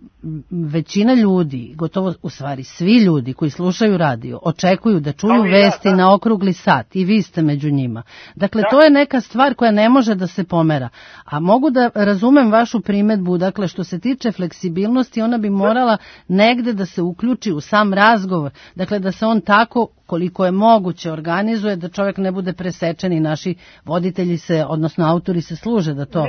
većina ljudi, gotovo u stvari svi ljudi koji slušaju radio, očekuju da čuju vesti na okrugli sat i vi ste među njima. Dakle, to je neka stvar koja ne može da se pomera. A mogu da razumem vašu primedbu, dakle, što se tiče fleksibilnosti, ona bi morala negde da se uključi u sam razgovor. Dakle, da se on tako, koliko je moguće, organizuje, da čovjek ne bude presečen i naši voditelji se, odnosno autori se služe da to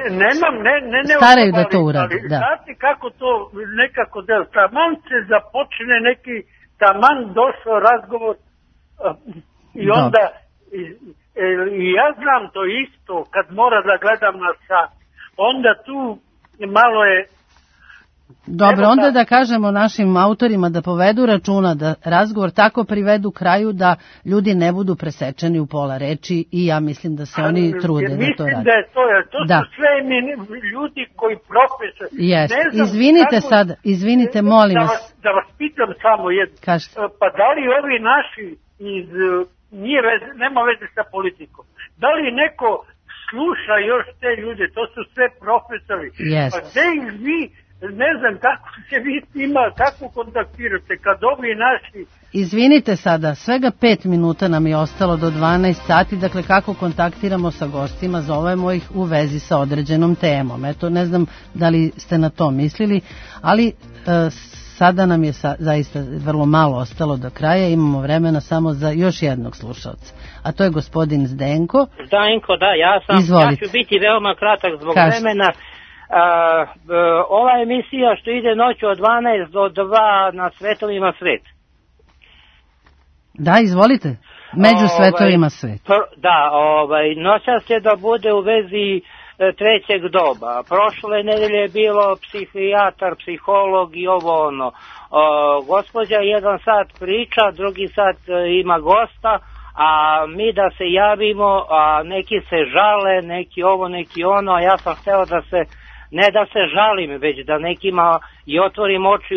staraju da to urade. Da. Znate kako to nekako da taman se započne neki taman došao razgovor i onda i ja znam to isto kad mora da gledam na sat, onda tu malo je. Dobro, onda da kažemo našim autorima da povedu računa, da razgovor tako privedu kraju da ljudi ne budu presečeni u pola reči i ja mislim da se oni trude da to rade. Mislim da je to su sve ljudi koji profesor. Izvinite, molim vas. Da vas pitam samo jedno. Pa da li ovi naši iz, nema veze sa politikom, da li neko sluša još te ljude, to su sve profesori. Pa gde ih vi, ne znam kako se vi s njima, kako kontaktirate kad ovi naši... Izvinite sada, svega 5 minuta nam je ostalo do 12 sati, dakle kako kontaktiramo sa gostima, zovemo ih u vezi sa određenom temom. Eto, ne znam da li ste na to mislili, ali sada nam je zaista vrlo malo ostalo do kraja, imamo vremena samo za još jednog slušalca, a to je gospodin Zdenko. Zdenko, da, ja ću biti veoma kratak zbog vremena. Ova emisija što ide noću od 12 do 2 na Svetovima svet. Da, izvolite. Među svetovima svet. Da, noćas će da bude u vezi trećeg doba. Prošle nedelje je bilo psihijatar, psiholog i ovo ono. Gospođa jedan sat priča, drugi sat ima gosta, a mi da se javimo, a neki se žale, neki ovo, neki ono, a ja sam hteo da se, ne da se žalim, već da nekima i otvorim oči,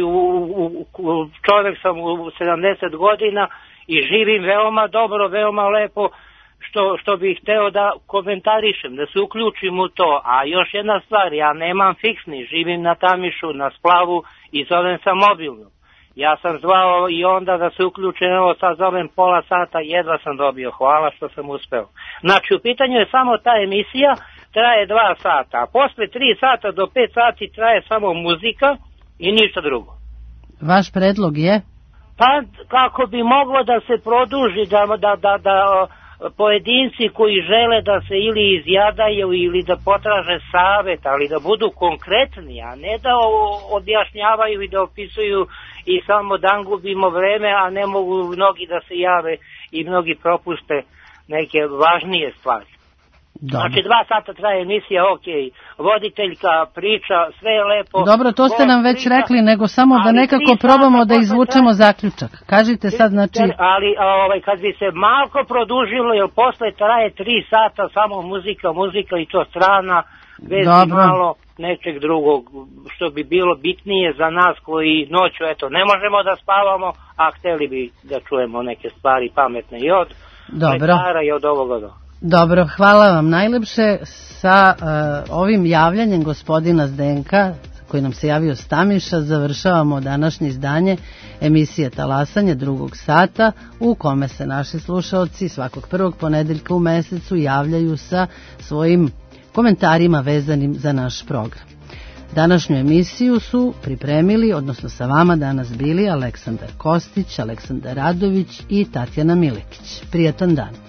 čovjek sam u 70 godina i živim veoma dobro, veoma lepo, što bih hteo da komentarišem, da se uključim u to. A još jedna stvar, ja nemam fiksni, živim na Tamišu, na Splavu i zovem sa mobilnom. Ja sam zvao i onda da se uključim, evo sad zovem pola sata, jedva sam dobio, hvala što sam uspeo. Znači u pitanju je samo ta emisija, traje 2 sata, a posle 3 sata do 5 sati traje samo muzika i ništa drugo. Vaš predlog je? Pa kako bi moglo da se produži, da pojedinci koji žele da se ili izjadaju ili da potraže savet, ali da budu konkretni, a ne da objašnjavaju i da opisuju i samo dan gubimo vreme, a ne mogu mnogi da se jave i mnogi propuste neke važnije stvari. Znači 2 sata traje emisija, ok, voditeljka, priča, sve je lepo. Dobro, to ste nam već rekli, nego samo da nekako probamo da izvučemo zaključak. Kažite sad, znači... Ali kad bi se malko produžilo, jer posle traje 3 sata samo muzika i to strana, bez malo nečeg drugog, što bi bilo bitnije za nas koji noću, eto, ne možemo da spavamo, a hteli bi da čujemo neke stvari pametne i od lekara i od ovoga do. Dobro, hvala vam najlepše. Sa ovim javljanjem gospodina Zdenka, koji nam se javio s Tamiša, završavamo današnje izdanje emisije Talasanje 2. sata, u kome se naši slušaoci svakog prvog ponedeljka u mesecu javljaju sa svojim komentarima vezanim za naš program. Današnju emisiju su pripremili, odnosno sa vama danas bili Aleksandar Kostić, Aleksandar Radović i Tatjana Milekić. Prijatan dan.